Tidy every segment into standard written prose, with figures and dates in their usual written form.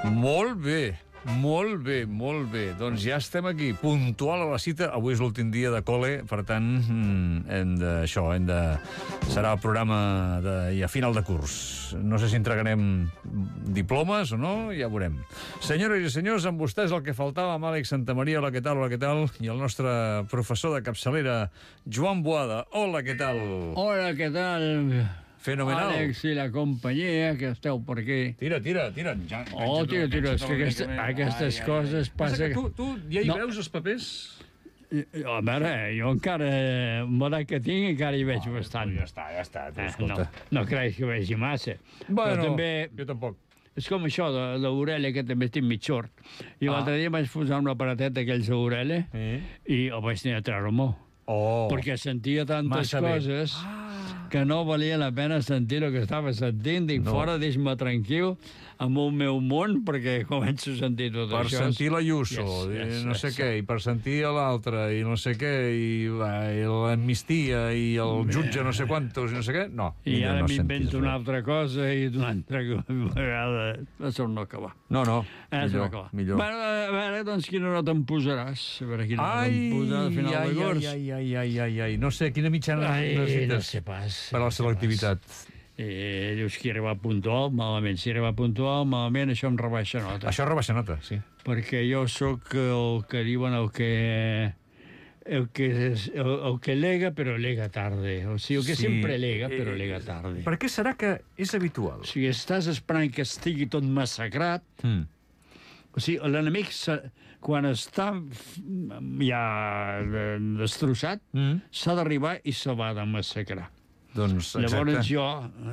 Molt bé, molt bé, molt bé. Doncs ja estem aquí, puntual a la cita. Avui és l'últim dia de col·le, per tant, serà el programa a final de curs. No sé si entregarem diplomes o no, ja veurem. Senyores i senyors, amb vostès el que faltava, amb Àlex Santamaria, hola, què tal, i el nostre professor de capçalera, Joan Boada. Hola, què tal? Hola, què tal? Fenomenal. Àlex i la companyia, que esteu per aquí. Tira. Ja, tira, és que aquestes coses passa... Tu ja hi veus els papers? A veure, jo encara, amb l'edat que tinc, encara hi veig bastant. Ja està, escolta. No crec que vegi massa. Bueno, també, jo tampoc. és com això de l'orella, que també estic mig sord. I l'altre dia vaig posar un aparatet d'aquells d'orella i el vaig tenir a treure-m'ho. Perquè sentia tantes coses que no valia la pena sentir el que estava sentint. Dic, fora, deixa'm tranquil amb el meu món, perquè començo a sentir tot això. Per sentir l'Ayuso, no sé què, i per sentir l'altre, i no sé què, i l'amnistia, i el jutge no sé quantos, i no sé què. No, i ara m'invento una altra cosa, i d'una altra vegada això no acaba. No, millor. Bueno, a veure, doncs, quina nota em posaràs? A veure, quina nota em posaràs a final de curs? Ai, no sé, quina mitjana necessites? No sé pas. Per a la selectivitat. Dius que arriba puntual, malament. Si arriba puntual, malament, això em rebaixa nota. Això rebaixa nota, sí. Perquè jo sóc el que diuen el que lega, però lega tarde. O sigui, el que sempre lega, però lega tarde. Per què serà que és habitual? O sigui, estàs esperant que estigui tot massacrat. O sigui, l'enemic, quan està ja destrossat, s'ha d'arribar i se l'ha de massacrar. Doncs, llavors jo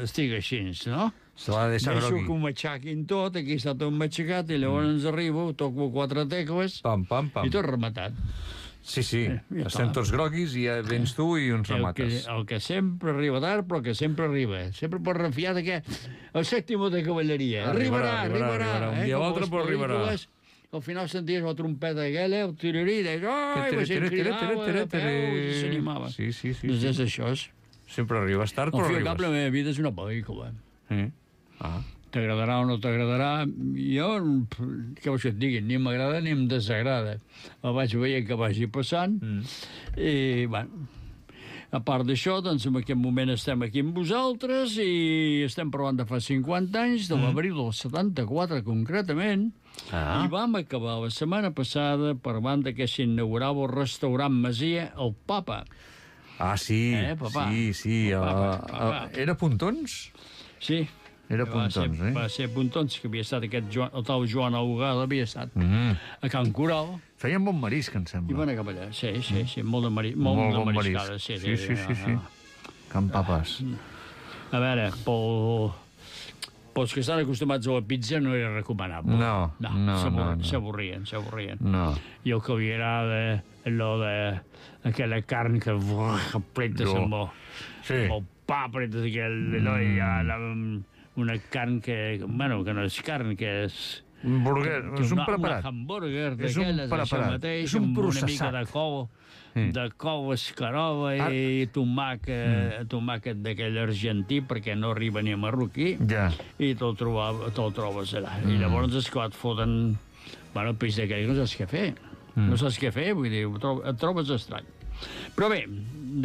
estic així, no? Se l'ha de deixar grogui. Deixo que ho matxaquin tot, aquí està tot matxacat, i llavors arribo, toco 4 tecles, i tot rematat. Sí, estem tots groguis i ja vens tu i uns remates. El que sempre arriba tard, però que sempre arriba. Sempre pots refiar que el sèptimo de cavalleria. Arribarà. Un dia o altre, però arribarà. Al final senties la trompeta aquella, el tirirí, i la gent cridava de peu i s'animava. Sí. Doncs és això. Sempre arribes tard, però arribes. Al final, la meva vida és una pel·lícula. T'agradarà o no t'agradarà, jo, què vols que et diguin, ni m'agrada ni em desagrada. El vaig veient que vagi passant, i, bueno, a part d'això, doncs, en aquest moment estem aquí amb vosaltres i estem parlant de fa 50 anys, de l'abril del 74, concretament, i vam acabar la setmana passada parlant que s'inaugurava el restaurant Masia El Papa. Sí. Papà? Sí. Era Pontons? Sí. Era Pontons, Va ser Pontons, que havia estat el tal Joan Augada, havia estat a Can Coral. Feien bon marisc, em sembla. I van cap allà, sí, molt de mariscada. Sí. Can Papes. A veure, pels que estan acostumats a la pizza no era recomanable. No. S'avorrien. No. I el que li agrada aquella carn que apretes amb el pa, apretes una carn que no és carn, que és un burger, és un preparat. Un hamburger d'aquelles, això mateix, amb una mica de cou escarola i tomàquet d'aquell argentí, perquè no arriba ni a marroquí, i te'l trobes allà. I llavors és que et foten el peix d'aquell, no saps què fer. No saps què fer, vull dir, et trobes estrany. Però bé,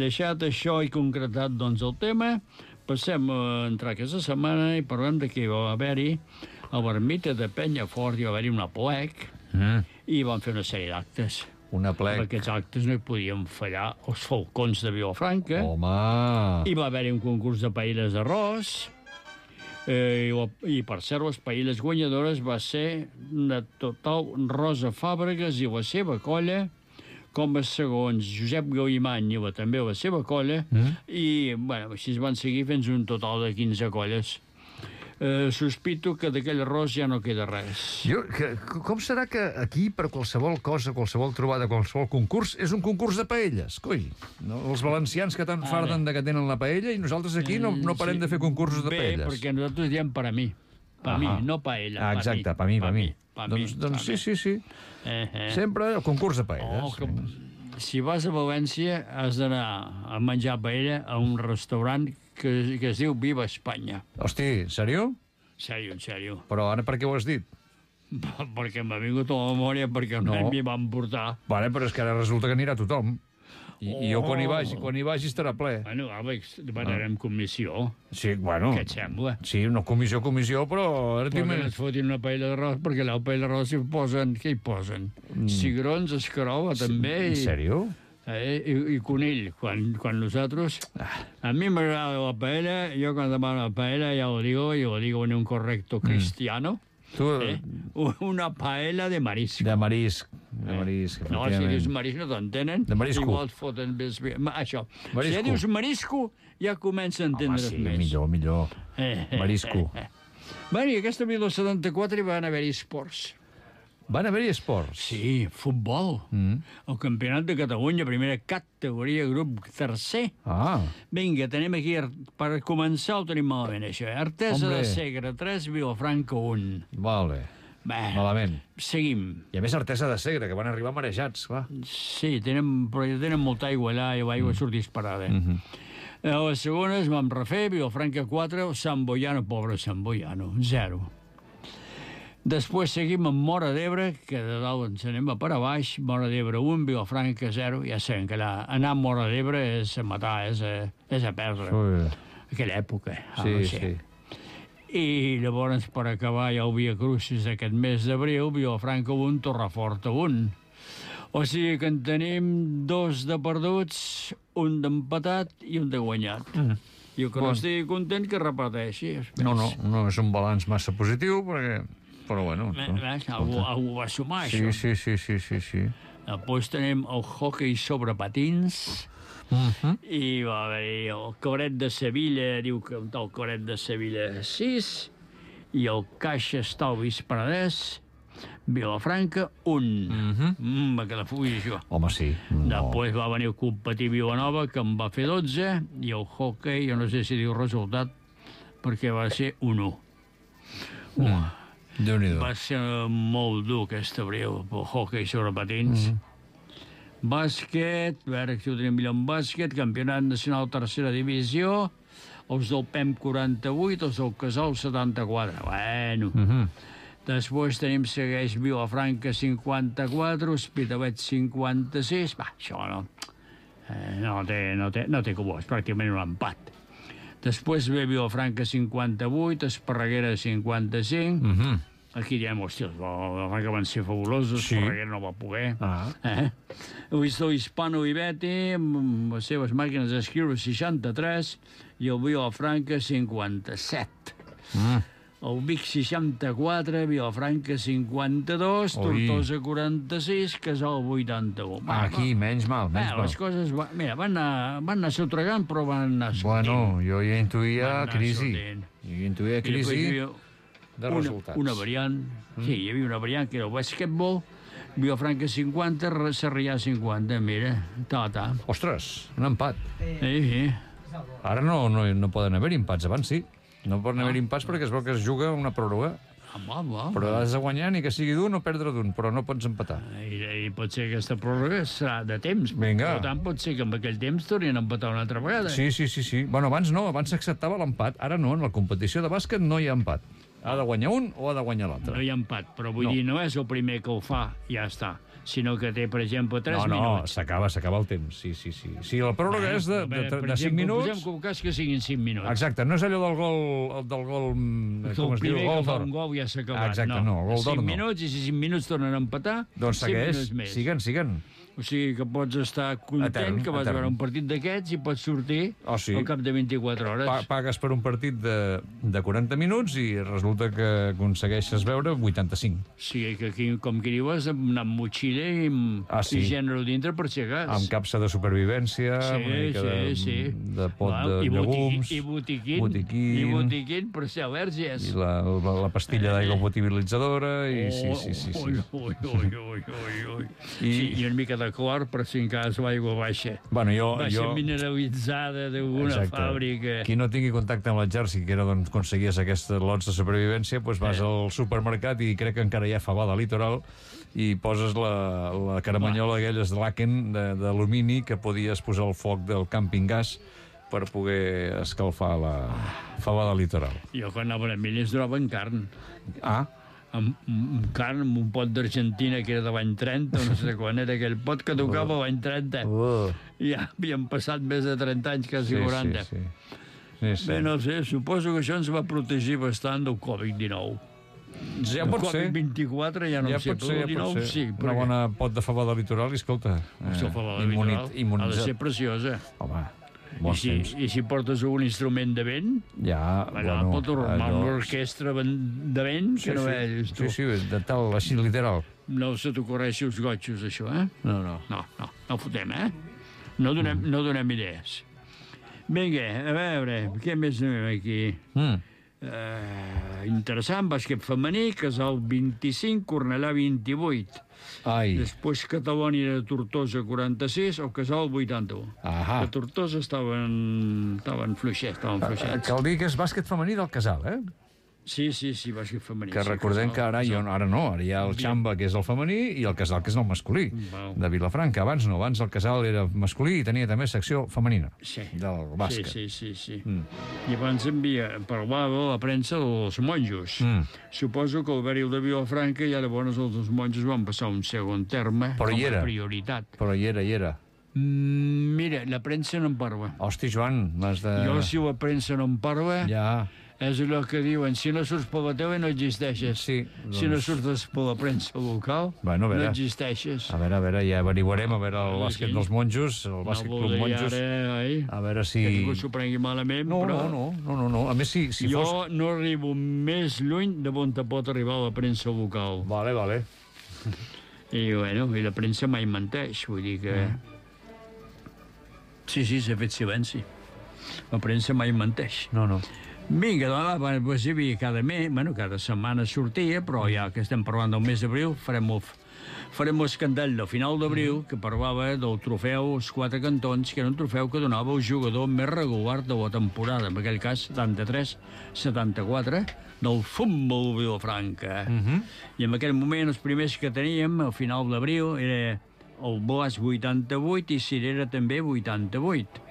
deixat això i concretat doncs el tema, passem a entrar aquesta setmana i parlem de que va haver-hi a l'ermita de Penyafort, hi va haver-hi una plec i van fer una sèrie d'actes. Una plec. En aquests actes no hi podien fallar els falcons de Vilafranca. Home! Hi va haver-hi un concurs de paelles d'arròs i per cert, les paelles guanyadores va ser de total Rosa Fàbregas i la seva colla, com a segons Josep Gauimany i també la seva colla, i així es van seguir fins un total de 15 colles. Sospito que d'aquell arròs ja no queda res. Com serà que aquí, per qualsevol cosa, qualsevol trobada, qualsevol concurs, és un concurs de paelles, coi? Els valencians que tant farden que tenen la paella i nosaltres aquí no parem de fer concursos de paelles. Bé, perquè nosaltres diem per a mi. Per mi, no paella. Exacte, per mi. Doncs sí. Sempre el concurs de paelles. Si vas a València has d'anar a menjar paella a un restaurant que es diu Viva Espanya. Hosti, sèrio? Sèrio. Però ara per què ho has dit? Perquè m'ha vingut a la memòria, perquè no m'hi van portar. Vale, però és que ara resulta que anirà tothom. I jo quan hi vagi estarà ple. Bueno, Àlex, debatarem comissió. Sí, bueno. Què et sembla? Sí, no comissió, però... Però que no et fotin una paella d'arròs, perquè la paella d'arròs hi posen... Què hi posen? Cigrons, escarola, també. En sèrio? I conill. Quan nosaltres... A mi m'agrada la paella, jo quan demano la paella ja ho digo en un correcto cristiano. Una paella de marisc. De marisc. No, si dius marisc no t'entenen. De marisco. Igual et foten més bé. Això. Si ja dius marisco, ja comença a entendre's més. Home, sí, millor. Marisco. Bé, i aquesta 1974 hi van haver-hi esports. Van haver-hi esports? Sí, futbol. El Campionat de Catalunya, primera categoria, grup tercer. Vinga, tenim aquí, per començar ho tenim malament, això. Artesa de Segre, 3, Vilafranca, 1. Vale. Malament. Seguim. I a més Artesa de Segre, que van arribar marejats, clar. Sí, però tenen molta aigua allà i l'aigua surt disparada. A les segones vam refer, Vilafranca 4, Sant Boiano, pobre Sant Boiano, 0. Després seguim amb Móra d'Ebre, que de dalt ens anem a per a baix, Móra d'Ebre 1, Vilafranca 0, ja sabem que anar a Móra d'Ebre és a matar, és a perdre. Aquella època. Sí. I llavors, per acabar, ja el Via Crucis d'aquest mes d'abril, Vilafranca 1, Torreforta 1. O sigui que en tenim 2 de perduts, 1 d'empatat i 1 de guanyat. Jo que no estigui content que repeteixi. No és un balanç massa positiu, però bueno. Algú va sumar, això. Sí. Després tenim el hoquei sobre patins, i va haver el Coret de Sevilla, diu que el Coret de Sevilla 6, i el Caixa Estalvis Penedès, Vilafranca 1. Va quedar fugir, això. Home, sí. Després va venir el Club Patí Vilanova, que en va fer 12, i el hoquei, jo no sé si diu resultat, perquè va ser 1-1. Déu-n'hi-do. Va ser molt dur aquest abril, el hoquei sobre patins. Bàsquet, a veure si ho tenim millor en bàsquet, Campionat Nacional Tercera Divisió, els del PEM 48, els del Casal 74. Bueno. Després segueix Vilafranca 54, Hospitalet 56. Va, això no té com és pràcticament un empat. Després ve Vilafranca 58, Esparreguera 55. Aquí diem, hòstia, els Vilafranca van ser fabulosos, Esparreguera no va poder. El Hispano Ibeti, amb les seves màquines d'escriure 63, i el Vilafranca 57. El Vic 64, Vilafranca 52, Tortosa 46, Casal 81. Aquí, menys mal. Les coses, mira, van anar sotregant, però van anar sortint. Bueno, jo ja intuïa crisi. De resultats. Una variant, sí, hi havia una variant, que era el basquetbol, Vilafranca 50, Sarrià 50, mira, Ostres, un empat. Sí. Ara no poden haver empats, abans sí. No poden haver impats perquè es veu que es juga una pròrroga. Però has de guanyar ni que sigui d'un o perdre d'un, però no pots empatar. I pot ser que aquesta pròrroga serà de temps. Vinga. Per tant, pot ser que en aquell temps tornin a empatar una altra vegada. Sí. Bueno, abans s'acceptava l'empat. Ara no, en la competició de bàsquet no hi ha empat. Ha de guanyar un o ha de guanyar l'altre. No hi ha empat, però vull dir, no és el primer que ho fa, ja està. Sinó que té, per exemple, 3 minuts. No, s'acaba el temps, sí. Si la pròrroga és de 5 minuts... Posem com cas que siguin 5 minuts. Exacte, no és allò del gol... El primer que fa un gol ja s'ha acabat. Exacte, no, el gol d'or no. 5 minuts, i si 5 minuts tornen a empatar, doncs segueix, siguen. O sigui que pots estar content que vas veure un partit d'aquests i pots sortir al cap de 24 hores. Pagues per un partit de 40 minuts i resulta que aconsegueixes veure 85. O sigui que aquí, com que dius, anar amb motxilla i gènere dintre per si acas. Amb capsa de supervivència, una mica de pot de llegums... I botiquín per ser al·lèrgies. I la pastilla d'aigua potabilitzadora, i sí. I una mica de clor per si en cas l'aigua baixa. Baixa mineralitzada d'alguna fàbrica. Qui no tingui contacte amb l'exèrcit, que era d'on aconseguies aquests lots de supervivència, doncs vas al supermercat i crec que encara hi ha fabada litoral i poses la caramanyola aquelles de Laken d'alumini que podies posar al foc del càmping gas per poder escalfar la fabada litoral. Jo quan anava a Emília es donaven carn. amb carn, amb un pot d'Argentina que era de l'any 30, no sé quan era aquell pot que tocava l'any 30. Ja havien passat més de 30 anys, quasi 40. Sí. Bé, no sé, suposo que això ens va protegir bastant del Covid-19. Ja pot ser. El Covid-24 ja no sé, però el 19 sí. Una bona pot de fava de litoral, escolta. La fava de litoral ha de ser preciosa. Home, bons temps. I si portes un instrument de vent, allà pot formar una orquestra de vent que no veus tu. Sí, de tal, així literal. No se t'ocorreixi els gotxos, això, eh? No fotem, eh? No donem idees. Vinga, a veure, què més anem aquí? Interessant, bàsquet femení, Casal 25, Cornellà 28. Després Catalònia de Tortosa 46, el Casal 81. A Tortosa estaven fluixets. Cal dir que és bàsquet femení del Casal, eh? Sí, bàsquet femení. Que recordem que ara hi ha el Xamba, que és el femení, i el Casal, que és el masculí, de Vilafranca. Abans no, abans el Casal era masculí i tenia també secció femenina del bàsquet. Sí. I abans parlava la premsa dels monjos. Suposo que el Bèril de Vilafranca ja llavors els monjos van passar un segon terme com a prioritat. Però hi era. Mira, la premsa no en parla. Hosti, Joan, m'has de... Jo, si la premsa no en parla... És allò que diuen, si no surts per la tele no existeixes. Si no surts per la premsa local, no existeixes. A veure, ja averiguarem, a veure el bàsquet dels monjos, el bàsquet club monjos. A veure si... Que ningú s'ho prengui malament, però... No. A més, si jo no arribo més lluny de on te pot arribar la premsa local. Vale. I la premsa mai menteix, vull dir que... Sí, s'ha fet silenci. La premsa mai menteix. No. Vinga, doncs, cada setmana sortia, però ja que estem parlant del mes d'abril, farem l'escandall del final d'abril, que parlava del trofeu els 4 cantons, que era un trofeu que donava el jugador més regular de la temporada, en aquell cas 73-74, del futbol Vilafranca. I en aquell moment els primers que teníem, al final d'abril, era el Blas 88 i Cirera també 88.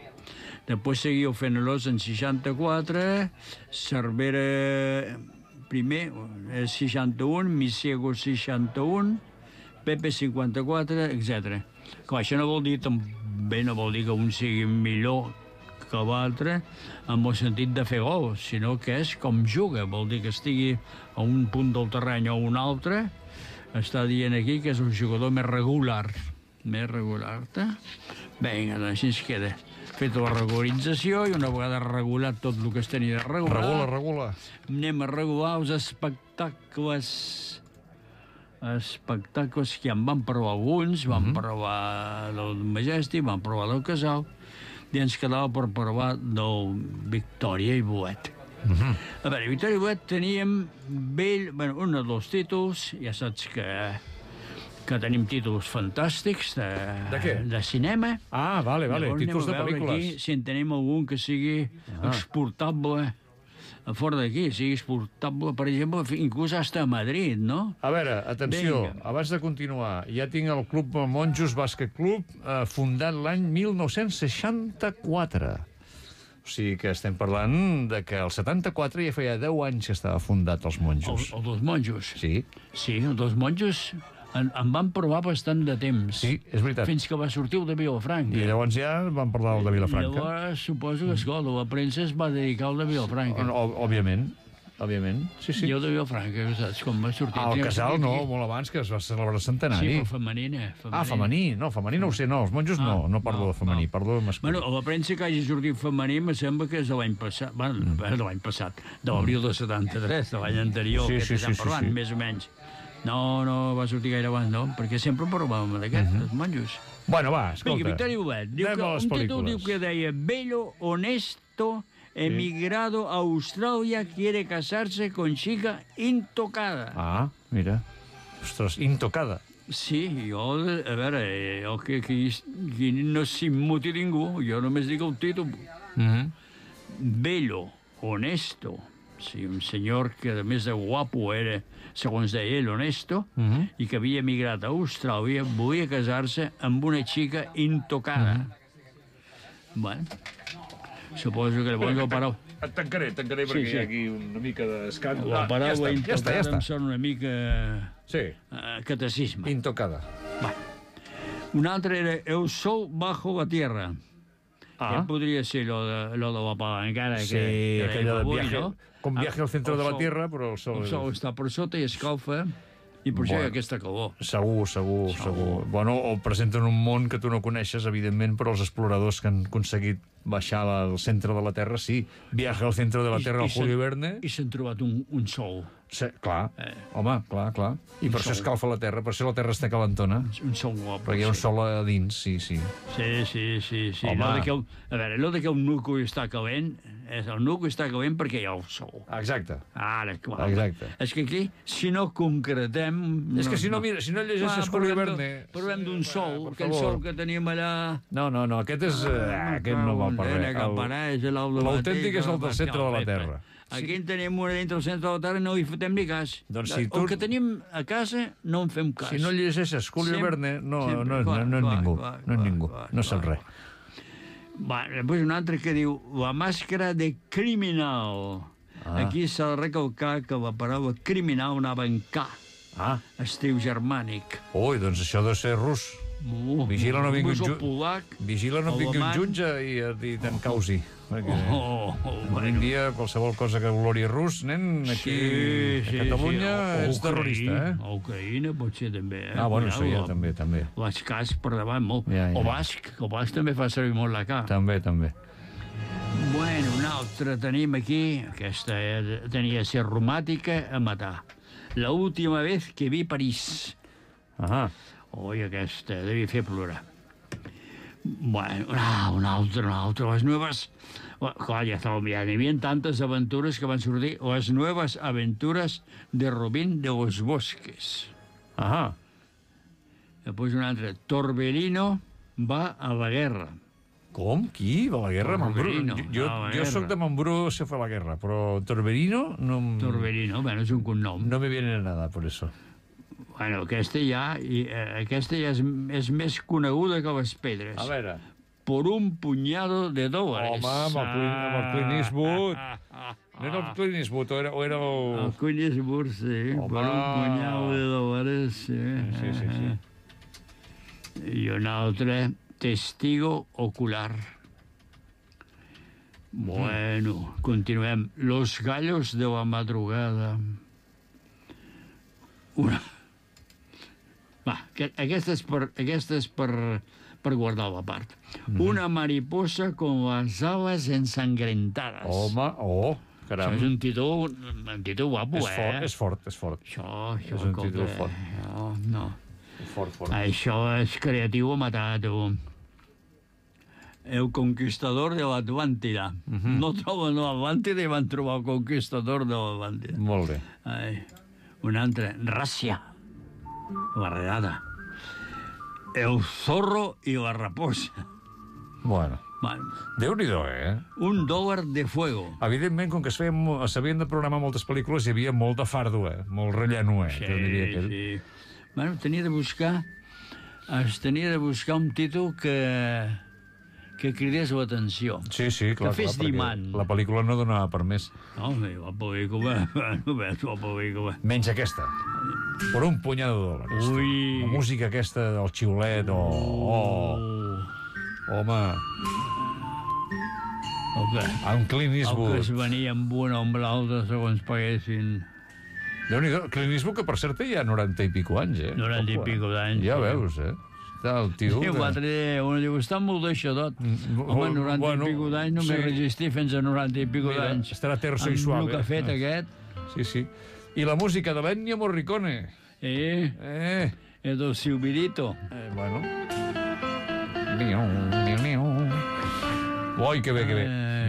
Després seguia el Fenelós en 64, Cervera primer, 61, Misiego 61, Pepe 54, etc. Clar, això no vol dir que un sigui millor que l'altre en el sentit de fer gol, sinó que és com juga. Vol dir que estigui a un punt del terreny o a un altre, està dient aquí que és el jugador més regular. Vinga, doncs així es queda. Feta la regularització i una vegada regulat tot el que es tenia de regular... Regula. Anem a regular els espectacles que en van parlar alguns, van parlar del Majestic, van parlar del Casal, i ens quedava per parlar del Victòria i Boet. A veure, Victòria i Boet teníem un dels títols, ja saps que tenim títols fantàstics de què? De cinema. Vale, títols de pel·lícules. Aquí, si en tenim algun que sigui exportable a fora d'aquí, sigui exportable, per exemple, inclús hasta a Madrid, no? A veure, atenció, abans de continuar, ja tinc el Club Monjos Bàsquet Club, fundat l'any 1964. O sigui que estem parlant de que el 74 ja feia 10 anys que estava fundat els monjos. El dels monjos? Sí. Sí, el dels monjos en van provar bastant de temps. Sí, és veritat. Fins que va sortir el de Vilafranca. I llavors ja van parlar del de Vilafranca. I llavors suposo que, escolta, la premsa es va dedicar al de Vilafranca. Òbviament. Sí. I el de Vilafranca, saps com va sortir? El Casal no, molt abans, que es va celebrar el centenari. Sí, però femenina. Femení. No, femení no ho sé, no, els monjos no parlo de femení, parlo de masculí. Bueno, la premsa que hagi sortit femení me sembla que és de l'any passat, de l'abril de 73, de l'any anterior, que estem parlant, més o menys. No, va sortir gaire abans, no, perquè sempre parlàvem d'aquest, els monjos. Bueno, va, escolta. Vinga, Victòria Boet, un títol diu que deia Bello, honesto, emigrado a Australia, quiere casarse con chica intocada. Mira. Ostres, intocada. Sí, jo, a veure, que no s'immuti ningú, jo només dic el títol. Bello, honesto, sí, un senyor que a més de guapo era, segons deia ell, honesto, i que havia emigrat a Austràlia, volia casar-se amb una xica intocada. Bueno, suposo que llavors el Et tancaré perquè hi ha aquí una mica d'escàndol. La paraula intocada em sona una mica... Sí. Catecisme. Intocada. Va. Un altre era El sol bajo la tierra. Que podria ser lo de la palancara. Sí, aquella de viaje, com viaje al centre de la Tierra, però el sol... El sol està per sota i escalfa, i per això hi ha aquesta calor. Segur. Bueno, o presenten un món que tu no coneixes, evidentment, però els exploradors que han aconseguit baixar al centre de la Terra, sí. Viaje al centre de la Terra al Julio Verne... I s'han trobat un sol. Sí, clar. Home, clar. I per això escalfa la Terra, per això la Terra està calentona. Un sol guapo. Perquè hi ha un sol a dins, sí. Sí. Home. A veure, allò que un nucli està calent, el nucli està calent perquè hi ha el sol. Exacte. Ara, clar. Exacte. És que aquí, si no concretem... És que si no llegeixes Julio Verne... Parlem d'un sol, aquell sol que teníem allà... No, aquest és... Aquest no va per res. L'autèntic és el del centre de la Terra. Aquí en tenim una dintre del centre de la Terra i no hi fotem ni cas. Doncs si tu... El que tenim a casa no en fem cas. Si no llegeixes Julio Verne, no és ningú. No saps res. Va, després un altre que diu La màscara de criminal. Aquí s'ha de recalcar que la paraula criminal anava en K. Estiu germànic. Ui, doncs això deu ser rus. Vigila no vingui un jutge i te'n causi. Un dia qualsevol cosa que olori rus, nen, aquí a Catalunya ets terrorista, eh? A Ucraïna potser també, eh? Bueno, això ja també. L'ascàs per davant molt. O basc, el basc també fa servir molt la K. També. Bueno, un altre tenim aquí, aquesta tenia ser romàtica a matar. La última vez que vi París. Oi, aquesta devia fer plorar. Bueno, un altre. Les nuevas... Clar, ja n'hi havia tantes aventures que van sortir. Les nuevas aventuras de Robin de los Bosques. Després un altre. Torbellino va a la guerra. Com? Qui? Va a la guerra? Jo soc de Mambrú se fue a la guerra, però Torbellino no... Torbellino, bueno, és un cognom. No me viene nada, por eso. Bueno, aquesta ja és més coneguda que les pedres. A veure. Por un puñado de dólares. Home, amb el Clint Eastwood. No era el Clint Eastwood, o era el... El Clint Eastwood, sí. Home. Por un puñado de dólares, sí. Sí. I un altre, testigo ocular. Bueno, continuem. Los gallos de la madrugada. Aquesta és per guardar la part. Una mariposa con las alas ensangrentadas. Home, caram. Això és un títol guapo, És fort. Això és un títol fort. No. Fort. Això és creatiu a matar, tu. El conquistador de l'Atlàntida. No troben l'Atlàntida i van trobar el conquistador de l'Atlàntida. Molt bé. Un altre, Ràcia. La regada. El zorro i la raposa. Bueno. Déu-n'hi-do, $1 de fuego. Evidentment, com que s'havien de programar moltes pel·lícules, hi havia molt de fardo, molt relleno, Sí. Bueno, tenia de buscar un títol que cridés l'atenció. Sí, clar. Que fes d'imant. La pel·lícula no donava per més. No, la pel·lícula... Menys aquesta. Por un puñado de dólares. Ui. La música aquesta del xiulet, Home. Amb Clint Eastwood. El que es venia amb un o amb l'altre segons paguessin. Déu-n'hi-do. Clint Eastwood, que per cert hi ha 90 i pico anys, 90 i pico d'anys. Ja veus, Està el tio... Sí, un diu, està molt deixadot. Home, 90 i pico d'anys, només resistir fins a 90 i pico d'anys. Estarà terso i suave. Amb el que ha fet aquest. Sí. I la música de l'Ennio Morricone. El del Silvirito. Bueno. Ui, que bé.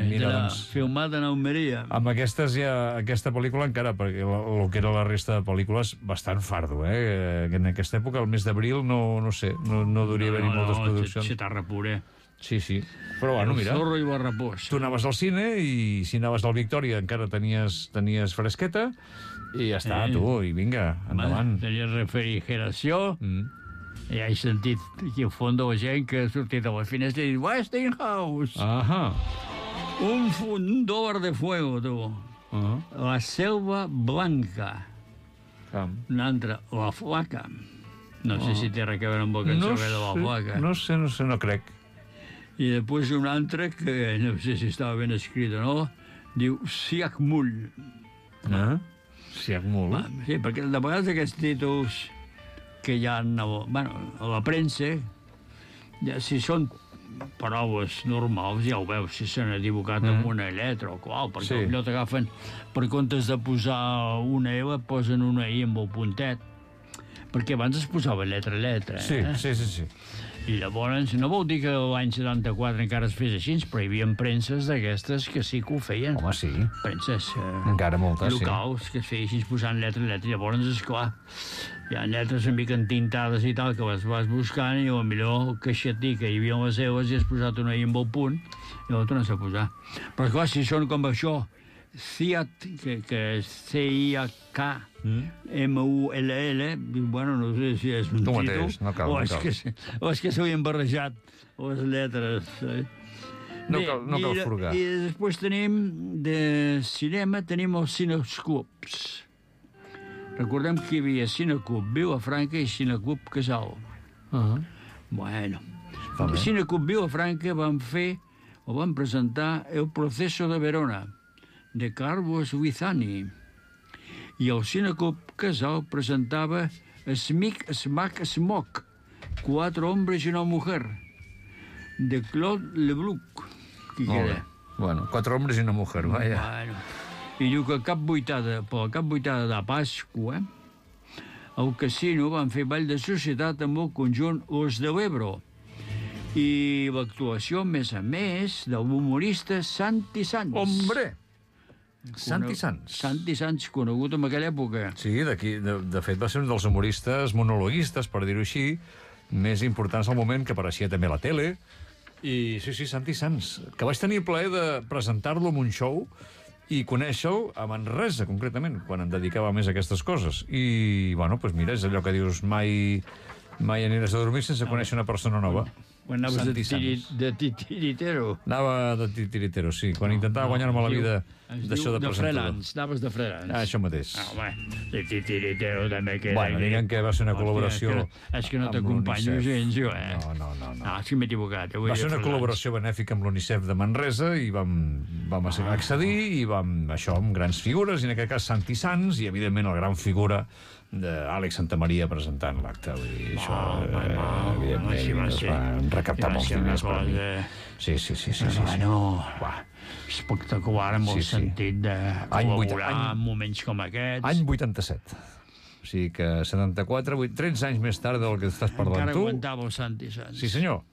Mira, doncs... Filmat en Almeria. Amb aquesta pel·lícula encara, perquè el que era la resta de pel·lícules, bastant fardo, En aquesta època, el mes d'abril, no sé, no hauria haver-hi moltes produccions. Xetarra pura. Sí. Però bueno, mira... El zorro i la raposa. Tu anaves al cine i si anaves al Victòria encara tenies fresqueta i ja està, tu, i vinga, endavant. Tenies refrigeració... I he sentit aquí al fons de la gent que ha sortit a la finestra i dit Westinghouse. Un fundador de fuego, tu. La selva blanca. Un altre, la flaca. No sé si té res a veure amb el cançó de la flaca. No sé, no crec. I després un altre que no sé si estava ben escrit o no, diu Siakmul. Siakmul? Sí, perquè de vegades aquests títols que hi ha a la premsa, si són paraules normals, ja ho veus, si s'han equivocat amb una lletra o qual, perquè potser t'agafen, per comptes de posar una L, posen una I amb el puntet, perquè abans es posava lletra a lletra. Sí. I llavors, no vol dir que l'any 74 encara es fes així, però hi havia premses d'aquestes que sí que ho feien. Home, sí. Premses encara moltes, locals, que es feien així posant lletra a lletra. Llavors, esclar, hi ha lletres una mica entintades i tal, que les vas buscant i potser el caixetí que hi havia les seves i has posat una I amb el punt i la tornes a posar. Però esclar, si són com això, CIAT, que és C-I-A-K, M-U-L-L, bueno, no sé si és un títol, o és que s'havien barrejat les lletres. No cal furgar. I després tenim, de cinema, tenim els Cineclubs. Recordem que hi havia Cineclub Vilafranca i Cineclub Casal. Bueno, el Cineclub Vilafranca van presentar El proceso de Verona, de Carlos Guizani. I el Cineclub Casal presentava Smic, Smac, Smoc, 4 hombres y una mujer, de Claude Leblanc. Qui queda? Bueno, 4 hombres y una mujer, vaya. Bueno. I diu que per la cap vuitada de Pasqua, al casino van fer ball de societat amb el conjunt Los de l'Ebro. I l'actuació, a més, de l'humorista Santi Sanz. Hombre! Santi Sanz, conegut en aquella època. Sí, de fet va ser un dels humoristes monologuistes, per dir-ho així, més importants al moment, que apareixia també a la tele. I sí, Santi Sanz, que vaig tenir el plaer de presentar-lo en un show i conèixer-lo a Manresa, concretament, quan em dedicava més a aquestes coses. I, bueno, doncs mira, és allò que dius, mai aniràs a dormir sense conèixer una persona nova. Quan anaves de titiritero. Anava de titiritero, sí. Quan intentava guanyar-me la vida d'això de presentador. Anaves de freelance. Això mateix. Home, de titiritero també queda... Bueno, diguem que va ser una col·laboració... És que no t'acompanyo gens, jo, No. És que m'he equivocat. Va ser una col·laboració benèfica amb l'UNICEF de Manresa i vam accedir i amb grans figures, i en aquest cas Santi Sanz, i evidentment la gran figura d'Àlex Santamaria presentant l'acte. Això, evidentment, es van recaptar molts diners per mi. Sí. Bueno, espectacular en el sentit de col·laborar en moments com aquests. Any 87. O sigui que 74, 13 anys més tard del que estàs parlant tu. Encara aguantava el Santi Sanz. Sí, senyor.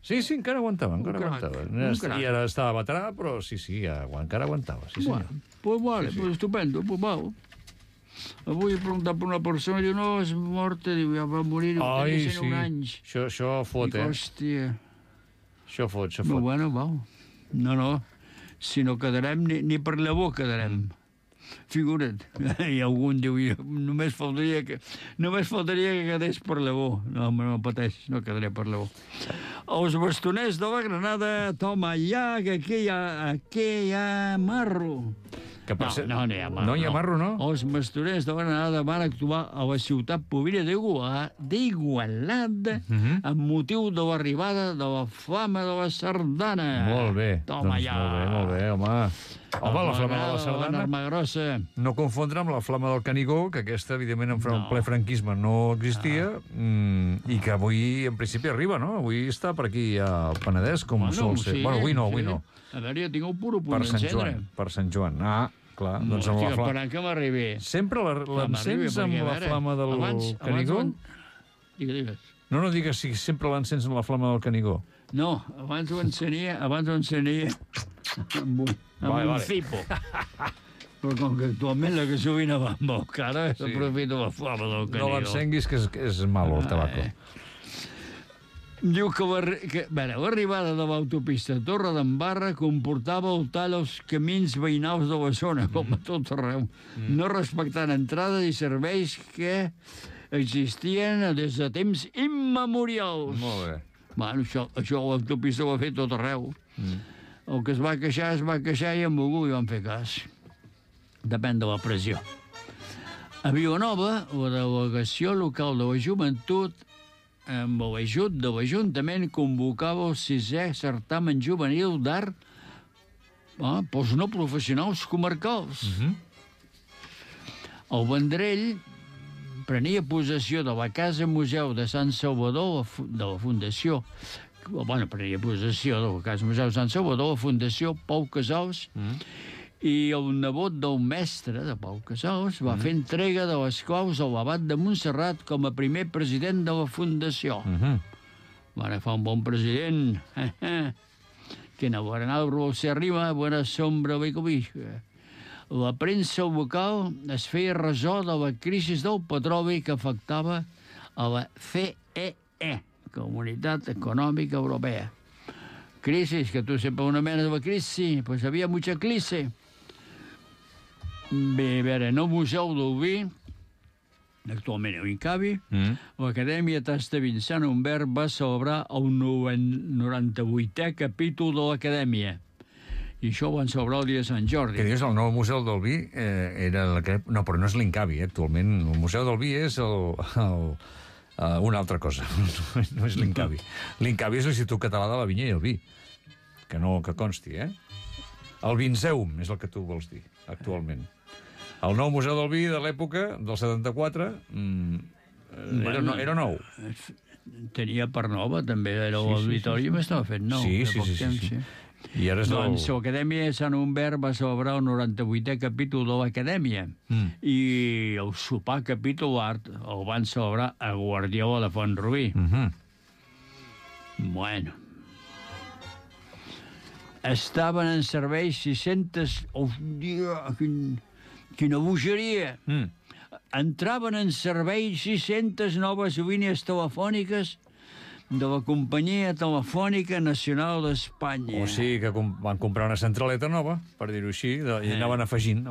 Sí, encara aguantava. I ara estava veterà, però sí, encara aguantava. Sí, senyor. Pues vale, pues estupendo, pues vau. Avui he preguntat per una persona i diu, no, és morta, diu, ja va morir, tenia 101 anys. Això fot, dic, hòstia. Això fot. No, bueno, vau. No, si no quedarem, ni per llavor quedarem. Figura't. I algun diu, només faltaria que quedés per llavor. No, no pateix, no quedaré per llavor. Els bastoners de la Granada, toma ja, que aquí hi ha marro. No hi ha marro, no? Els bastoners de la Granada van actuar a la ciutat pobra d'Igualada amb motiu de l'arribada de la flama de la sardana. Molt bé. Toma ja. Molt bé, home. Home, la flama de la sardana, no confondre amb la flama del Canigó, que aquesta, evidentment, en ple franquisme no existia, i que avui, en principi, arriba, no? Avui està per aquí al Penedès, com sol ser. Bueno, avui no. A veure, jo tinc un puro punt d'encendre. Per Sant Joan. Clar, doncs amb la flama... Esperant que m'arribi. Sempre l'encens amb la flama del Canigó? Digues. No digues si sempre l'encens amb la flama del Canigó. No, abans ho encenia amb un cipo. Però com que actualment la gasolina va molt cara, s'aprofita la flama del Canigó. No l'encenguis, que és malo, el tabaco. Diu que l'arribada de l'autopista Torredembarra comportava el tall als camins veïnals de la zona, com a tot arreu, no respectant entrades i serveis que existien des de temps immemorials. Molt bé. Bueno, això l'autopista ho ha fet tot arreu. El que es va queixar i amb algú hi van fer cas. Depèn de la pressió. A Vilanova, la delegació local de la joventut, amb l'ajut de l'Ajuntament, convocava el 6è certamen juvenil d'art pels no professionals comarcals. El Vendrell prenia possessió de la Casa Museu de Sant Salvador, de la Fundació, prenia possessió de la Casa Museu de Sant Salvador, la Fundació Pau Casals, i el nebot del mestre de Pau Casals va fer entrega de les claus a l'abat de Montserrat com a primer president de la Fundació. Van agafar un bon president. Que inaugurado se arriba, buena sombra ve cobija. La premsa local es feia ressò de la crisi del petroli que afectava a la CEE, Comunitat Econòmica Europea. Crisis, que tu sempre una mena de la crisi, pues havia mucha crisi. Bé, a veure, en el Museu del Vi, actualment a Incavi, l'Acadèmia Tasta Vincent Humbert va celebrar el 98è capítol de l'Acadèmia. I això ho van celebrar el dia de Sant Jordi. Que dius, el nou Museu del Vi era... No, però no és l'Incavi, actualment. El Museu del Vi és una altra cosa. No és l'Incavi. L'Incavi és l'Institut Català de la Vinya i el Vi. Que consti, eh? El Vinceum és el que tu vols dir, actualment. El nou Museu del Vi de l'època, del 74, era nou. Tenia part nova, també. Era l'auditorium, estava fet nou. Sí. I ara és doncs l'Acadèmia de Sant Humbert va celebrar el 98è capítol de l'Acadèmia i el sopar capítol art el van celebrar a Guardiola de Font-rubí. Bueno. Estaven en servei 600... Oh, dia, quina bogeria! Entraven en servei 600 noves línies telefòniques de la Companyia Telefònica Nacional d'Espanya. O sigui que van comprar una centraleta nova, per dir-ho així, i anaven afegint.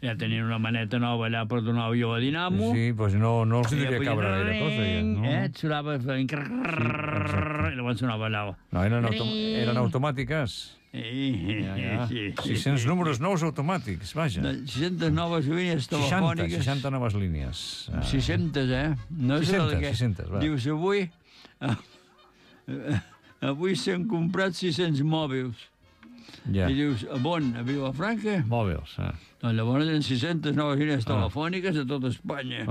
Ja tenien una maneta nova allà per donar el a dinamo. Sí, doncs no els diria cabre gaire cosa. Et sonava... I llavors sonava allà. No, eren automàtiques. Sí. 600 números nous automàtics, vaja. 600 noves línies telefòniques. 60 noves línies. 600, No és 600, va. Dius, avui s'han comprat 600 mòbils. I dius, on? A Vilafranca? Mòbils, Doncs llavors eren 600 noves línies telefòniques a tot Espanya.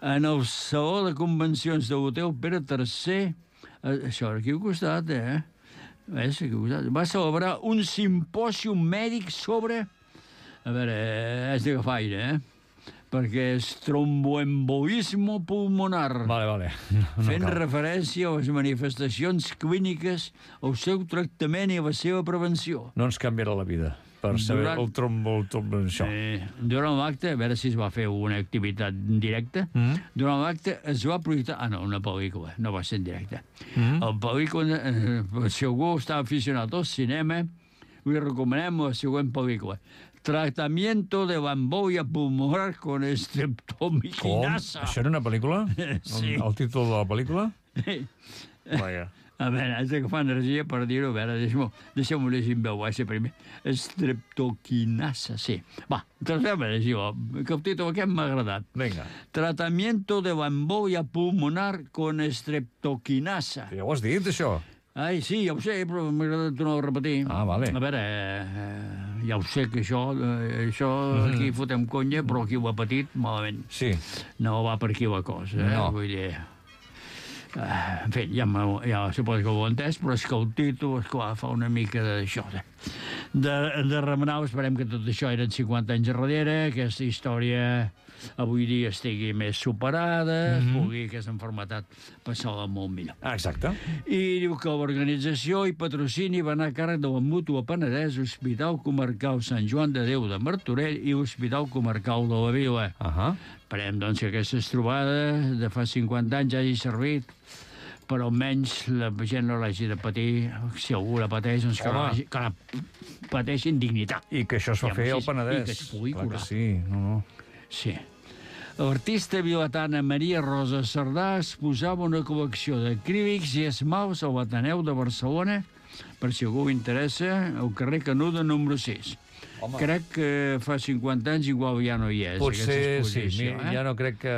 En el saló de convencions de l'Hotel Pere III, això aquí al costat, va celebrar un simpòsium mèdic sobre... A veure, és d'agafar aire, perquè és tromboembolisme pulmonar. Vale. Fent referència a les manifestacions clíniques, al seu tractament i a la seva prevenció. No ens canviarà la vida per saber el trombo, això. Durant l'acte, a veure si es va fer una activitat directa, durant l'acte es va projectar... una pel·lícula, no va ser en directe. El pel·lícula, si algú està aficionat al cinema, li recomanem la següent pel·lícula. Tratamiento de la embolia pulmonar con streptomiquinasa. Com? Això era una pel·lícula? Sí. El títol de la pel·lícula? Vaja. A veure, haig d'agafar energia per dir-ho. A veure, deixeu-m'ho llegir en veu baixa primer. Streptoquinasa, sí. Va, deixeu-me llegir-ho, que el títol aquest m'ha agradat. Vinga. Tratamiento de la embolia pulmonar con streptoquinasa. Ja ho has dit, això? Ai, sí, ja ho sé, però m'ha agradat tornar a repetir. Vale. A veure, ja ho sé que això aquí fotem conya, però qui ho ha patit, malament. Sí. No va per aquí la cosa, No. Vull dir... En fi, ja suposo que ho he entès, però és que el títol, esclar, fa una mica d'això. De remenar, esperem que tot això eren 50 anys darrere, aquesta història avui dia estigui més superada, pugui aquesta enfermetat passar-la molt millor. Exacte. I diu que l'organització i patrocini va anar a càrrec de la Mútua Penedès, Hospital Comarcal Sant Joan de Déu de Martorell i Hospital Comarcal de la Vila. Esperem, doncs, que aquestes trobades de fa 50 anys hagi servit, però almenys la gent no l'hagi de patir. Si algú la pateix, doncs que la pateixi en dignitat. I que això es va fer al Penedès. I que es pugui curar. Sí, Sí. L'artista vilatana Maria Rosa Cerdà exposava una col·lecció d'acrílics i esmalts a l'Ateneu de Barcelona per si algú interessa, al carrer Canuda, número 6. Home. Crec que fa 50 anys igual ja no hi és. Potser sí, ja no crec que...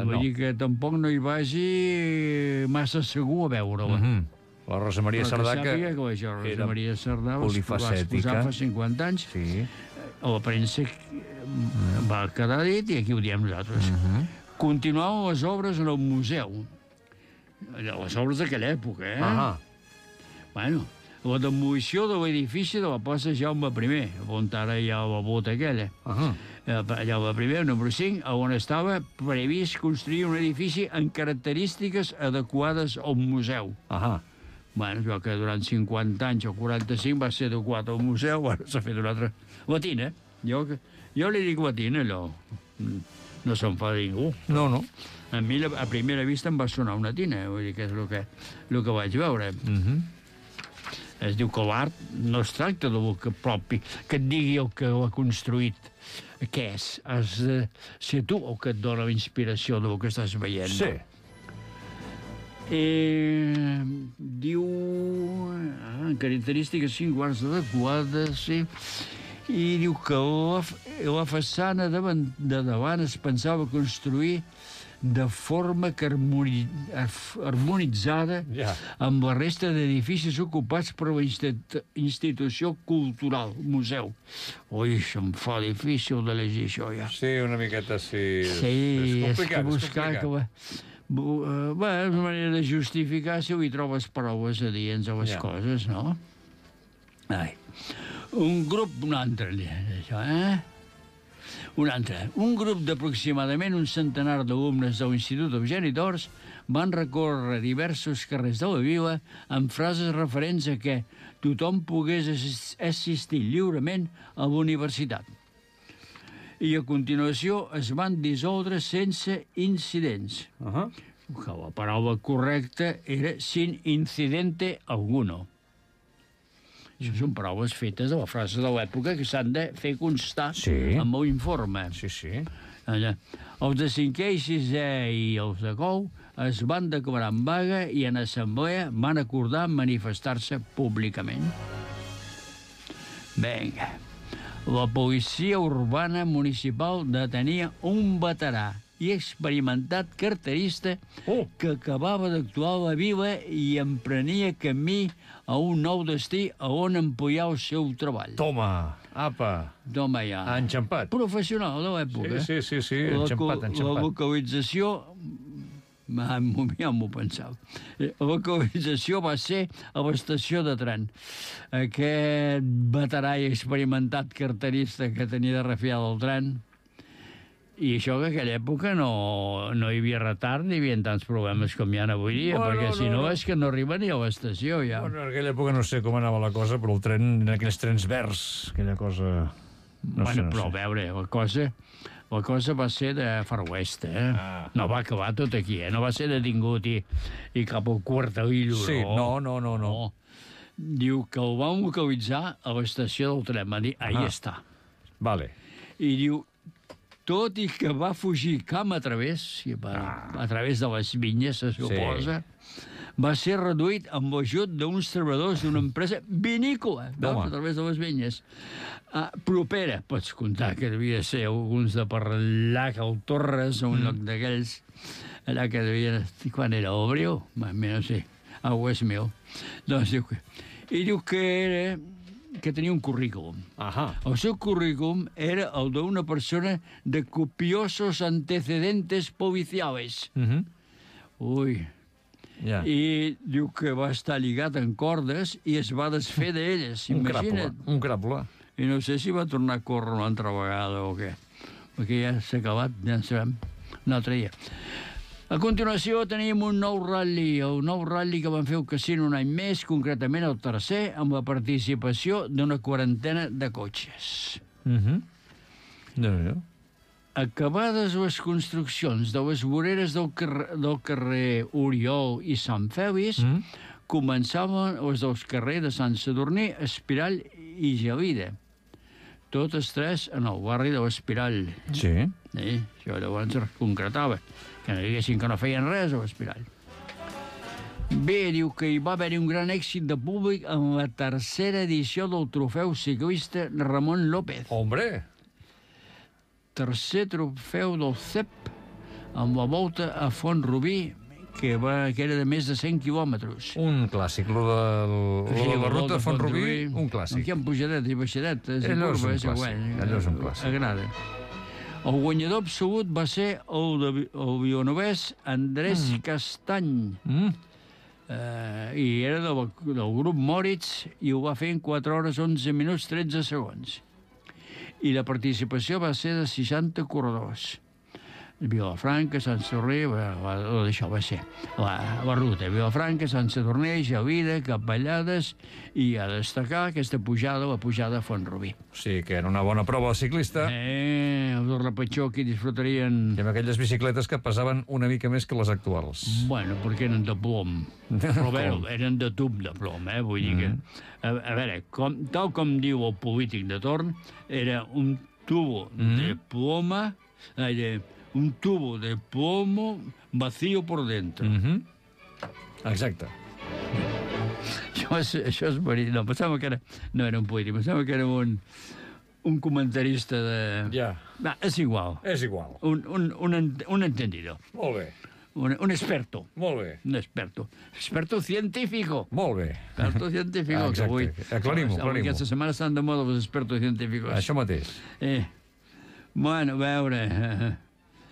Vull dir que tampoc no hi vagi massa segur a veure-la. La Rosa Maria Sardà, que era polifacètica, va exposar fa 50 anys, a la premsa va quedar dit i aquí ho diem nosaltres. Continuaven les obres en el museu. Les obres d'aquella època, Bueno, la demolició de l'edifici de la plaça Jaume I, on ara hi ha la bota aquella. Jaume I, número 5, on estava previst construir un edifici amb característiques adequades al museu. Bueno, jo que durant 50 anys o 45 va ser adequat al museu, ara s'ha fet una altra... Latina. Jo li dic latina, allò. No se'n fa ningú. No. A mi, a primera vista, em va sonar una tina, vull dir que és el que vaig veure. Es diu que l'art no es tracta del que propi, que et digui el que l'ha construït. Què és? Has de ser tu el que et dona la inspiració del que estàs veient. Sí. Diu... característiques singulars adequades, sí. I diu que la façana de davant es pensava construir de forma harmonitzada amb la resta d'edificis ocupats per la institució cultural, museu. Ui, se'm fa difícil de llegir això, ja. Sí, una miqueta sí. Sí, és que buscar... Bé, és una manera de justificar si hi trobes paraules adients a les coses, no? Ai. Un altre, Un grup d'aproximadament un centenar d'alumnes de l'Institut Eugeni d'Ors van recórrer diversos carrers de la vila amb frases referents a que tothom pogués assistir lliurement a la universitat. I a continuació es van dissoldre sense incidents. Que la paraula correcta era sin incidente alguno. Això són paraules fetes de la frase de l'època que s'han de fer constar amb l'informe. Sí. Els de 5è i 6è i els de Cou es van declarar en vaga i en assemblea van acordar manifestar-se públicament. Vinga. La policia urbana municipal detenia un veterà i experimentat carterista que acabava d'actuar a la vila i emprenia camí a un nou destí a on emplear el seu treball. Toma, apa. Toma ja. Enxampat. Professional de l'època. Sí, enxampat. La localització... Ja m'ho pensava. La localització va ser a l'estació de tren. Aquest veterà i experimentat carterista que tenia de refiar del tren. I això que en aquella època no hi havia retard ni hi havia tants problemes com hi ha avui dia, perquè si no és que no arriba ni a l'estació, ja. Bueno, en aquella època no sé com anava la cosa, però el tren, en aquells trens verds, aquella cosa... No sé. A veure, la cosa va ser de Far West, No va acabar tot aquí, No va ser detingut i cap al Quartelillo, sí, no. Diu que el van localitzar a l'estació del tren, va dir, ahí està. Vale. I diu, tot i que va fugir camp a través de les vinyes, se suposa, va ser reduït amb l'ajut d'uns treballadors d'una empresa vinícola, a través de les vinyes. Propera, pots comptar que devia ser alguns de per allà, al Torres, a un lloc d'aquells, allà que devia... Quan era? L'Obreu? No sé, a West Mill. Doncs diu que tenia un currículum. El seu currículum era el d'una persona de copiosos antecedentes policiales. Ui. I diu que va estar lligat en cordes i es va desfer d'elles. Imagina't. Un cràpula. I no sé si va tornar a córrer una altra vegada o què. Perquè ja s'ha acabat, ja en sabem, un altre dia. A continuació tenim un nou ral·li, el nou ral·li que van fer al casino un any més, concretament el tercer, amb la participació d'una quarantena de cotxes. Acabades les construccions de les voreres del carrer Oriol i Sant Fèlix, començaven les dels carrers de Sant Sadurní, Espirall i Gelida. Totes tres en el barri de l'Espirall. Sí. Això llavors es concretava. Que no diguessin que no feien res a l'Espirall. Bé, diu que hi va haver un gran èxit de públic en la tercera edició del trofeu ciclista Ramon López. Hombre! Tercer trofeu del CEP amb la volta a Font-rubí, que era de més de 100 quilòmetres. Un clàssic, la ruta de Font-rubí, un clàssic. Aquí hi ha pujadetes i baixadetes i curves. Allò és un clàssic. Agrada. El guanyador absolut va ser el vilanovès Andrés Castany. I era del grup Moritz i ho va fer en 4 hores, 11 minuts, 13 segons. I la participació va ser de 60 corredors. Vilafranca, Sant Sadurní, això va ser la ruta. Vilafranca, Sant Sadurní, Gelida, Capellades, i a destacar aquesta pujada, la pujada a Font-rubí. Sí, que era una bona prova ciclista. Els del repetxó aquí disfrutarien... I amb aquelles bicicletes que pesaven una mica més que les actuals. Bueno, perquè eren de plom. Però bé, eren de tub de plom, vull dir que... A veure, tal com diu el polític de torn, era un tubo de ploma... un tubo de plomo vacío por dentro. Exacte. Això és verí. No, pensava que era... No era un polític, pensava que era un comentarista de... Ja. Va, és igual. És igual. Un entendido. Molt bé. Un experto. Molt bé. Un experto. Experto científico. Molt bé. Experto científico. Exacte. Aclarim-ho. Aquesta setmana estan de moda els expertos científicos. Això mateix. Bueno, a veure...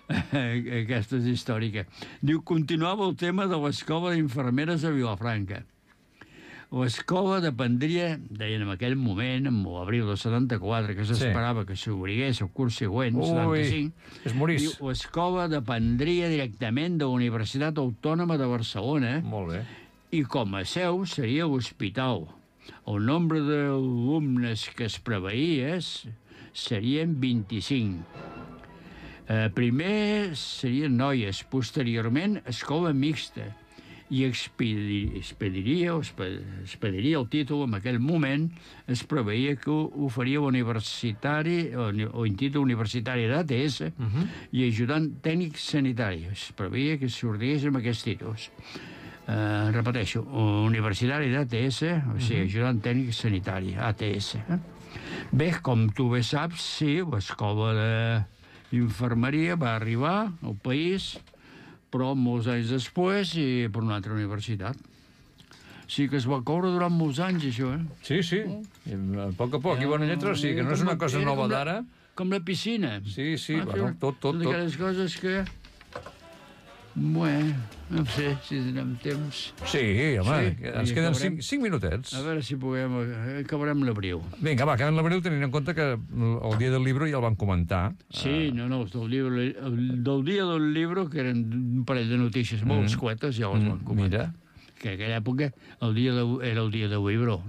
Aquesta és històrica. Diu, continuava el tema de l'escola d'infermeres a Vilafranca. L'escola dependria, deien en aquell moment, en l'abril del 74, que s'esperava que s'obrigués el curs següent, 75, es morís. Diu, l'escola dependria directament de la Universitat Autònoma de Barcelona. Molt bé. I com a seu seria l'hospital. El nombre d'alumnes que es preveia serien 25. Primer serien noies, posteriorment escola mixta, i expediria el títol en aquell moment. Es preveia que ho faria l'universitari, o títol universitari d'ATS, i ajudant tècnic sanitari. Es preveia que sortís amb aquests títols. Repeteixo, universitari d'ATS, o sigui, ajudant tècnic sanitari, ATS. Bé, com tu bé saps, sí, l'escola d'infermeria va arribar al país, però molts anys després i per una altra universitat. Sí que es va coure durant molts anys, això, Sí, sí. A poc a poc, i bona lletra, sí, que no és una cosa nova d'ara. Com la piscina. Sí, bueno, tot. Totes aquelles coses que... Bueno, no sé si tenim temps. Sí, home, ens queden 5 minutets. A veure si acabarem l'abril. Vinga, va, acabem l'abril tenint en compte que el dia del llibre ja el van comentar. Sí, no, del dia del llibre, que eren un parell de notícies molt escuetes, ja els van comentar. Mira. Que en aquella època era el dia del llibre.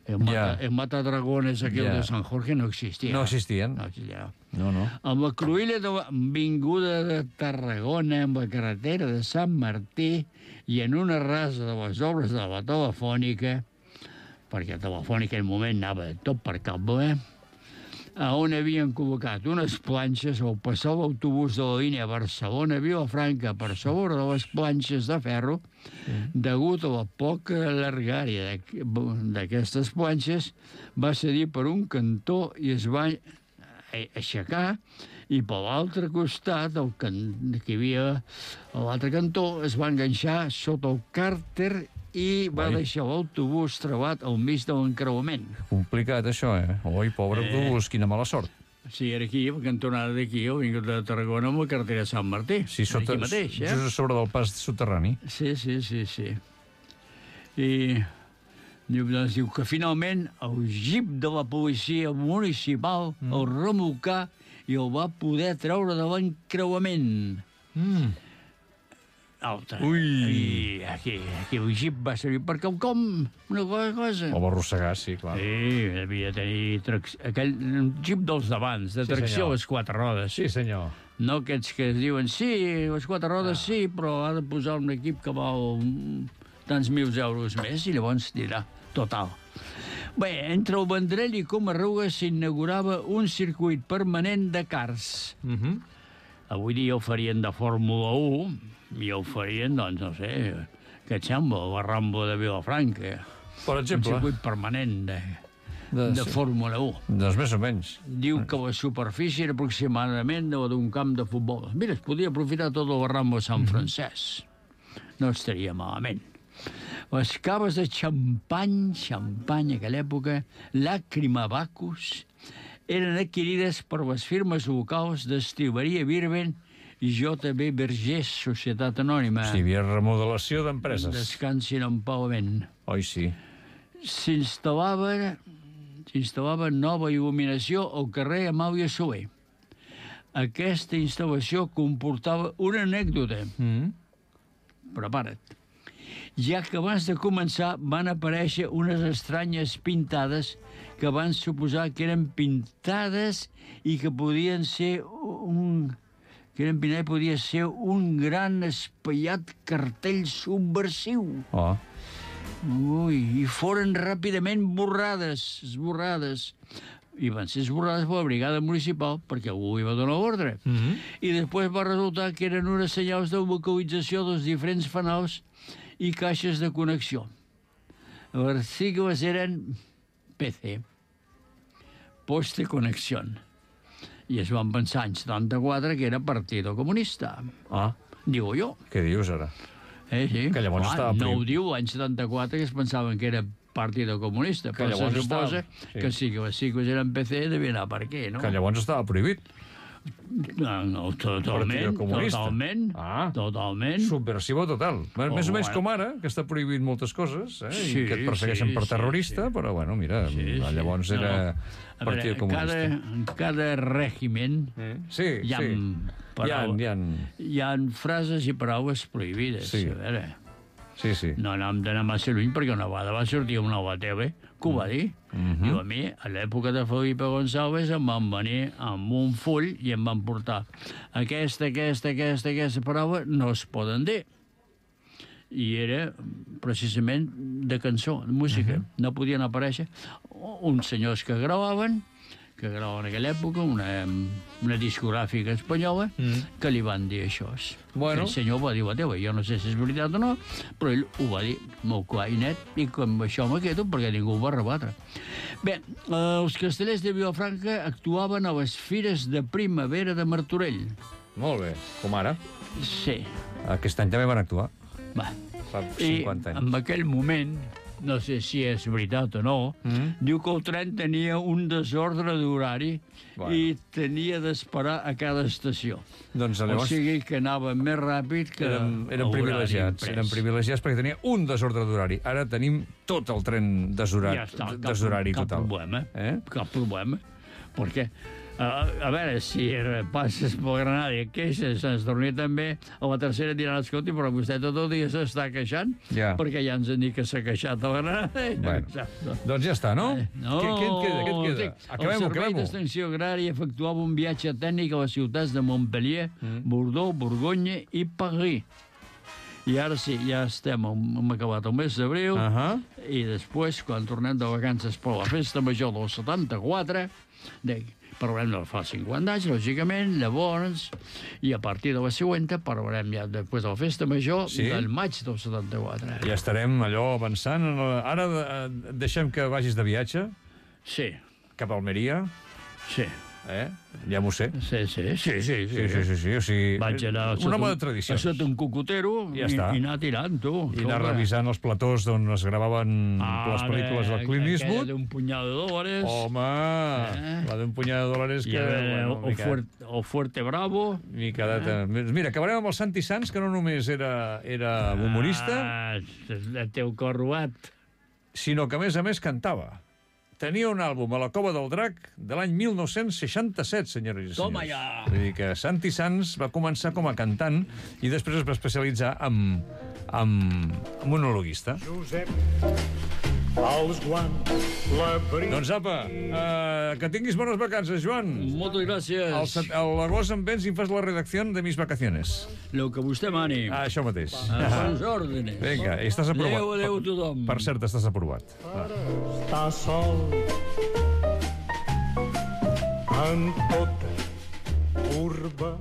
El Matadragones aquell de Sant Jorge no existia. No existien. No. Amb la cruïlla de l'avinguda de Tarragona, amb la carretera de Sant Martí i en una rasa de les obres de la Telefònica, perquè la Telefònica en un moment anava tot per cable, on havien col·locat unes planxes al passar l'autobús de la línia Barcelona-Vilafranca per sobre de les planxes de ferro, degut a la poca llargària d'aquestes planxes, va cedir per un cantó i es va aixecar, i per l'altre costat, que hi havia a l'altre cantó, es va enganxar sota el càrter i va deixar l'autobús travat al mig de l'encreuament. Complicat, això, Oi, pobre autobús, quina mala sort. Sí, era aquí, la cantonada d'aquí, el vingut de Tarragona amb la carretera de Sant Martí. Sí, aquí mateix, just a sobre del pas soterrani. Sí. I diu que finalment el jeep de la policia municipal el remolcà i el va poder treure de l'encreuament. Alta. I aquí el jeep va servir per quelcom, una cosa. O va arrossegar, sí, clar. Sí, devia tenir aquell jeep dels d'abans, de tracció a les 4 rodes. Sí, senyor. No aquests que diuen, sí, les 4 rodes sí, però ha de posar un equip que val tants mils euros més i llavors dirà, total. Bé, entre el Vendrell i Comarruga s'inaugurava un circuit permanent de karts. Avui dia ho farien de Fórmula 1 i ho farien, doncs, no sé, Què et sembla, la Rambo de Vilafranca? Per exemple. Un circuit permanent de Fórmula 1. Doncs més o menys. Diu que la superfície era aproximadament d'un camp de futbol. Mira, es podia aprofitar tot el Rambo de Sant Francesc. No estaria malament. Les caves de xampany a aquella època, Làcrima Bacus, eren adquirides per les firmes locals d'Estileria Birben i J.B. Vergés, Societat Anònima. Sí, hi havia remodelació d'empreses. Descansin en pagament. Oi, sí. S'instal·lava nova il·luminació al carrer Amàlia Soler. Aquesta instal·lació comportava una anècdota. Prepara't. Ja que abans de començar van aparèixer unes estranyes pintades que van suposar que eren pintades i que podien ser podia ser un gran espaiat cartell subversiu. Ui, i foren ràpidament esborrades. I van ser esborrades per la brigada municipal perquè algú hi va donar ordre. I després va resultar que eren unes senyals de localització dels diferents fanals i caixes de connexió. Les sigles eren PC, Poste Conexión. I es van pensar anys 74 que era Partido Comunista. Digo jo. Què dius ara? Sí. Que llavors estava no ho diu l'any 74 que es pensaven que era Partido Comunista, però se suposa que sí que les sigles eren PC devia anar per què, no? Que llavors estava prohibit. No, totalment. Subversivo total. Més o menys com ara, que està prohibit moltes coses, i que et persegueixen per terrorista, però, bueno, mira, llavors era Partit Comunista. En cada règimen hi ha frases i paraules prohibides. A veure... No hem d'anar massa lluny perquè una vegada va sortir una nova tele que ho va dir. Diu, a mi, a l'època de Felipe González, em van venir amb un full i em van portar aquesta paraula no es poden dir. I era precisament de cançó, de música. No podien aparèixer uns senyors que gravaven en aquella època, una discogràfica espanyola, que li van dir això. El senyor va dir la teva, jo no sé si és veritat o no, però ell ho va dir molt clar i net, i com això me quedo perquè ningú ho va rebatre. Bé, els castellers de Vilafranca actuaven a les fires de primavera de Martorell. Molt bé, com ara? Sí. Aquest any també van actuar. Va. Fa 50 anys. I en aquell moment, no sé si és veritat o no, diu que el tren tenia un desordre d'horari i tenia d'esperar a cada estació. Doncs llavors... O sigui que anava més ràpid que eren privilegiats. Eren privilegiats perquè tenia un desordre d'horari. Ara tenim tot el tren desorari total. Cap problema. Perquè... A veure, si passes pel Granada i et queixes, ens dormia també, a la tercera diran, escolti, però vostè tot el dia s'està queixant, perquè ja ens han dit que s'ha queixat a la Granada. Doncs ja està, no? Què et queda? El Servei d'Extensió Agrària efectuava un viatge tècnic a les ciutats de Montpellier, Bordeaux, Borgonya i Paris. I ara sí, ja hem acabat el mes d'abril, i després, quan tornem de vacances per la festa major del 74, parlarem de fa 50 anys, lògicament, llavors, i a partir de la següent parlarem ja després de la festa major del maig del 74. Ja estarem allò avançant. Ara deixem que vagis de viatge. Sí. Cap a Almeria. Sí. Ja m'ho sé. Sí. O sigui, vaig anar un home de tradicions. A sota un cocotero i anar tirant, tu. I anar revisant els platós d'on es gravaven les pel·lícules del Clint Eastwood. Aquella d'un punyado de dòlars. Home, la d'un punyado de dòlars que... El Fuerte Bravo. Mira, acabarem amb el Santi Sanz, que no només era humorista... El teu cor robat. Sinó que, a més, cantava. Tenia un àlbum a la Cova del Drac de l'any 1967, senyores i senyors. Toma ja! Vull dir que Santi Sanz va començar com a cantant i després es va especialitzar en monologuista. Josep, els guants, doncs apa, que tinguis bones vacances, Joan. Moltes gràcies. A l'agost em vens i em fas la redacció de mis vacaciones. Lo que vostè mani. Això mateix. A les ordres. Vinga, i estàs aprovat. Adéu, tothom. Per cert, estàs aprovat. Està sol en tota urba